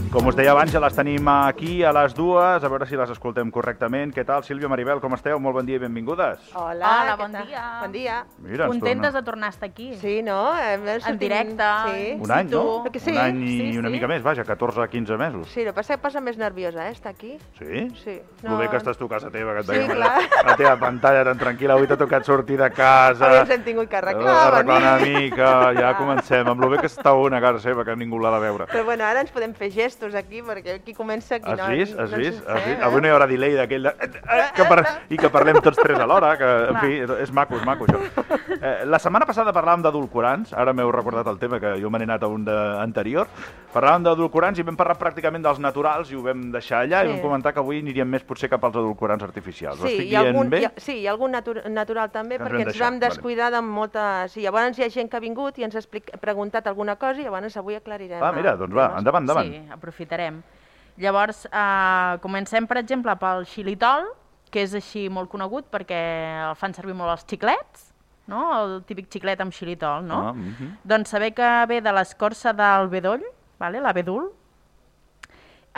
Com us deia abans, ja les tenim aquí a les dues, a veure si les escoltem correctament. Què tal, Sílvia, Maribel, com esteu? Molt bon dia i benvingudes. Hola, bon dia. Bon dia. Mira, Contentes de tornar a estar aquí. Sí, no? En directe. Sí. Un any, no? Sí. Un any i una mica més, vaja, 14-15 mesos. Sí, el que passa és que posa més nerviosa, estar aquí. Sí? Sí. No. Lo bé que estàs tu a casa teva, que et Sí, veiem clar. la teva pantalla tan tranquil·la. Avui t'ha tocat sortir de casa. Avui ens hem tingut que arreglar. Una mica, ja comencem. Amb lo bé que està una a casa seva, que ningú l'ha de veure. Però bueno, ara ens podem fer gestos aquí, perquè aquí comença... Aquí Has vist? no ens sent, Avui no hi haurà delay d'aquell i que parlem tots tres alhora, que, en fi, és maco, això. La setmana passada parlàvem d'edulcorants, ara m'heu recordat el tema, que jo me n'he anat a un anterior. Parlàvem d'edulcorants i vam parlar pràcticament dels naturals i ho vam deixar allà i vam comentar que avui aniríem més potser cap als edulcorants artificials. Ho estic dient bé? Sí, hi ha algun natural també, Que ens perquè vam ens vam deixar, descuidar de moltes... Sí, llavors hi ha gent que ha vingut i ens ha preguntat alguna cosa i llavors avui aclarirem. Mira, doncs va, endavant. Sí, aprofitarem. Llavors, comencem, per exemple, pel xilitol, que és així molt conegut perquè el fan servir molt els xiclets, no? El típic xiclet amb xilitol, no? Doncs saber que ve de l'escorça del bedoll, l'abedul,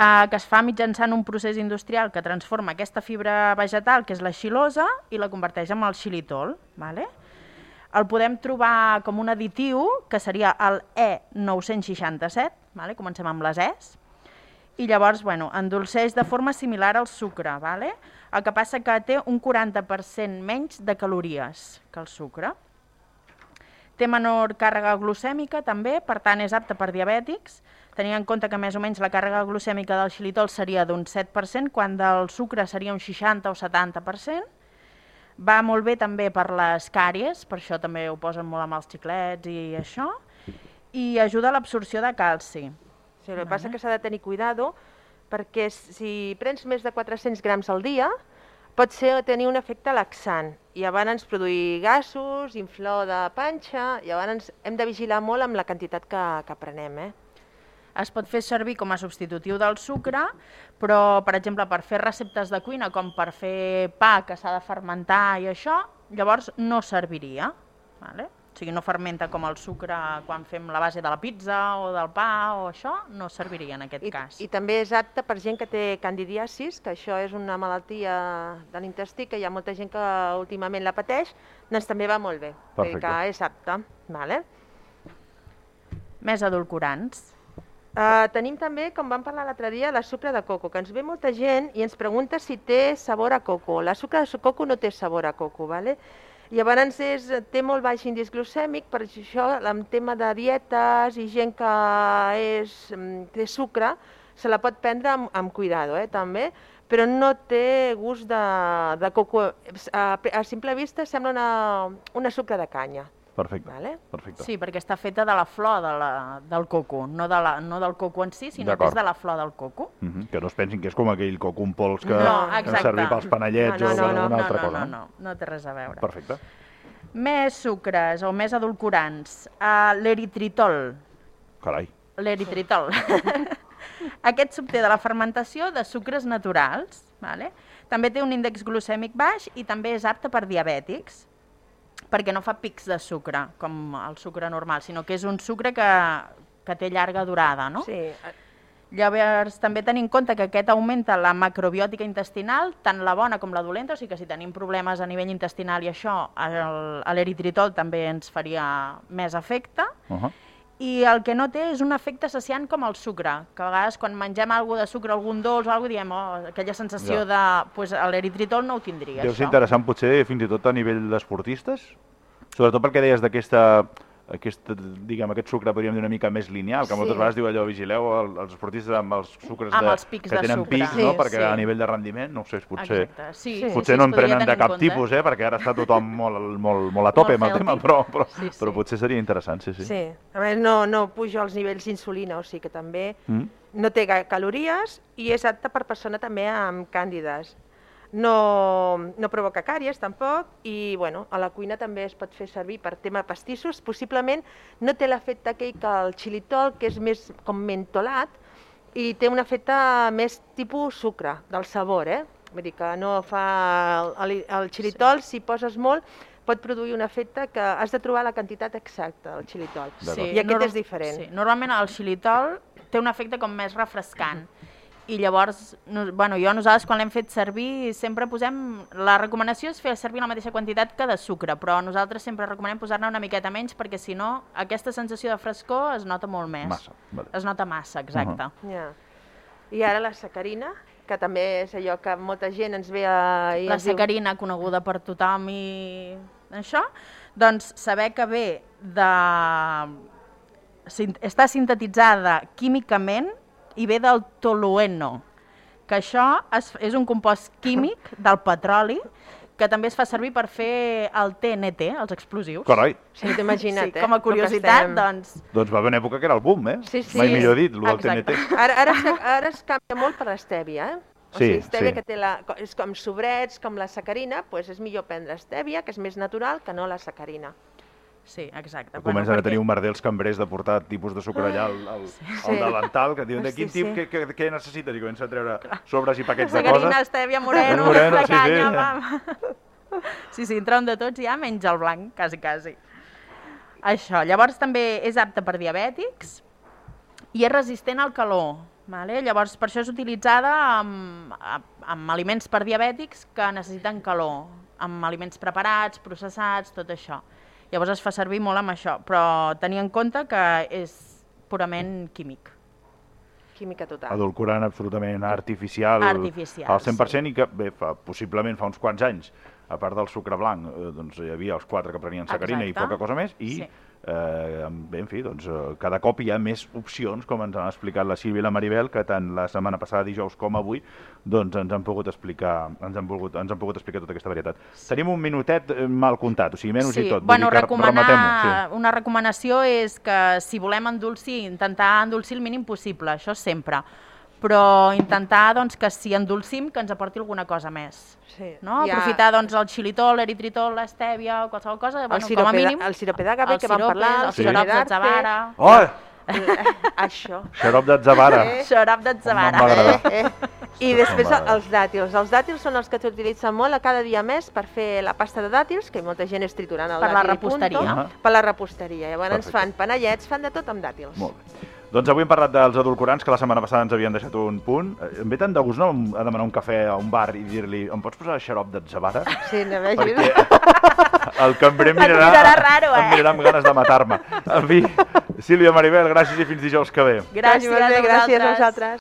que es fa mitjançant un procés industrial que transforma aquesta fibra vegetal, que és la xilosa, i la converteix en el xilitol. El podem trobar com un additiu, que seria el E967, comencem amb les Es, i llavors endolceix de forma similar al sucre. El que passa que té un 40% menys de calories que el sucre. Té menor càrrega glucèmica també, per tant és apte per diabètics, tenint en compte que més o menys la càrrega glucèmica del xilitol seria d'un 7%, quan del sucre seria un 60 o 70%. Va molt bé també per les càries, per això també ho posen molt amb els xiclets i això, i ajuda a l'absorció de calci. Sí, el que passa és que s'ha de tenir cuidado, perquè si prens més de 400 grams al dia, pot tenir un efecte laxant, i llavors produir gasos, inflor de panxa, i llavors hem de vigilar molt amb la quantitat que prenem. Es pot fer servir com a substitutiu del sucre, però, per exemple, per fer receptes de cuina, com per fer pa que s'ha de fermentar i això, llavors no serviria. O sigui, no fermenta com el sucre quan fem la base de la pizza o del pa o això, no serviria en aquest cas. I també és apte per gent que té candidiasis, que això és una malaltia de l'intestí, que hi ha molta gent que últimament la pateix, doncs també va molt bé, que és apte. Més edulcorants. Tenim també, com vam parlar l'altre dia, la sucre de coco, que ens ve molta gent i ens pregunta si té sabor a coco. La sucre de coco no té sabor a coco, llavors té molt baix índex glucèmic, per això en tema de dietes i gent que té sucre se la pot prendre amb cuidado també, però no té gust de coco. A simple vista sembla una sucre de canya. Perfecte. Sí, perquè està feta de la flor del coco, no del coco en si, sinó que és de la flor del coco. Que no es pensin que és com aquell coco en pols que hem servit pels panellets o alguna altra cosa. No té res a veure. Perfecte. Més sucres o més edulcorants. L'eritritol. Carai. L'eritritol. Aquest s'obté de la fermentació de sucres naturals. També té un índex glucèmic baix i també és apte per diabètics, perquè no fa pics de sucre, com el sucre normal, sinó que és un sucre que té llarga durada, no? Sí. Llavors, també tenim en compte que aquest augmenta la macrobiòtica intestinal, tant la bona com la dolenta, o sigui que si tenim problemes a nivell intestinal i això, l'eritritol també ens faria més efecte. I el que no té és un efecte saciant com el sucre, que a vegades quan mengem alguna de sucre, algun dolç o alguna cosa, diem aquella sensació de... Doncs l'eritritol no ho tindria, Deu ser interessant potser fins i tot a nivell d'esportistes, sobretot perquè deies aquest sucre, podríem dir, una mica més lineal, que moltes vegades diu allò, vigileu els esportistes amb els sucres que tenen pics, perquè a nivell de rendiment, no ho sé, potser no en prenen de cap tipus, perquè ara està tothom molt a tope amb el tema, però potser seria interessant, sí. Sí, a més no puja els nivells d'insulina, o sigui que també no té calories i és apte per persona també amb càndides. No provoca càries tampoc i a la cuina també es pot fer servir per tema pastissos. Possiblement no té l'efecte aquell que el xilitol, que és més com mentolat i té un efecte més tipus sucre, del sabor. Vull dir que no fa... El xilitol, si poses molt, pot produir un efecte que has de trobar la quantitat exacta del xilitol. I aquest és diferent. Normalment el xilitol té un efecte com més refrescant. I llavors, nosaltres quan l'hem fet servir sempre posem... La recomanació és fer servir la mateixa quantitat que de sucre, però nosaltres sempre recomanem posar-ne una miqueta menys perquè si no aquesta sensació de frescor es nota molt més. Massa, vale. Es nota massa, exacte. I ara la sacarina, que també és allò que molta gent ens ve a... La sacarina, coneguda per tothom i això, doncs saber que ve de... està sintetitzada químicament i ve del tolueno, que això és un compost químic del petroli que també es fa servir per fer el TNT, els explosius. Carai. Sí, t'ho imagina't, com a curiositat, doncs... Doncs va haver una època que era el boom, Sí. Mai millor dit, el del TNT. Ara es canvia molt per l'estèvia, O sigui, estèvia que té és com sobrets, com la sacarina, doncs és millor prendre estèvia, que és més natural, que no la sacarina. Sí, exacte. Comencen a tenir un merder els cambrers de portar tipus de sucre allà al davantal, que diuen de quin tip, què necessites? I comença a treure sobres i paquets de coses. Sacarina, estèvia, moreno, la canya, vam. Sí, entren de tots ja, menys el blanc, quasi. Això, llavors també és apte per diabètics i és resistent al calor. Llavors, per això és utilitzada amb aliments per diabètics que necessiten calor, amb aliments preparats, processats, tot això. Llavors es fa servir molt amb això, però tenir en compte que és purament químic. Química total. Edulcorant absolutament artificial al 100% i que, bé, possiblement fa uns quants anys, a part del sucre blanc, doncs hi havia els 4 que prenien sacarina i poca cosa més, i bé, en fi, doncs cada cop hi ha més opcions, com ens han explicat la Sílvia i la Maribel, que tant la setmana passada, dijous, com avui, doncs ens han pogut explicar tota aquesta varietat. Tenim un minutet mal comptat, o sigui, menys i tot. Bueno, una recomanació és que si volem endolcir, intentar endolcir el mínim possible, això sempre. Però intentar que si endolcim que ens aporti alguna cosa més. Aprofitar el xilitol, l'eritritol, l'estèvia o qualsevol cosa, com a mínim. El sirope d'agave que vam parlar, el xarop d'atzavara. Això. Xarop d'atzavara. Xarop d'atzavara. I després els dàtils. Els dàtils són els que s'utilitzen molt a cada dia més per fer la pasta de dàtils, que molta gent és triturant el dàtil. Per la reposteria. Per la reposteria. Llavors ens fan panellets, fan de tot amb dàtils. Molt bé. Doncs avui hem parlat dels edulcorants, que la setmana passada ens havien deixat un punt. Em ve tant de gust, no?, a demanar un cafè a un bar i dir-li em pots posar xarop d'atzavara? Sí, no veig. Perquè el cambrer em mirarà amb ganes de matar-me. En fi, Sílvia, Maribel, gràcies i fins dijous que ve. Gràcies a vosaltres.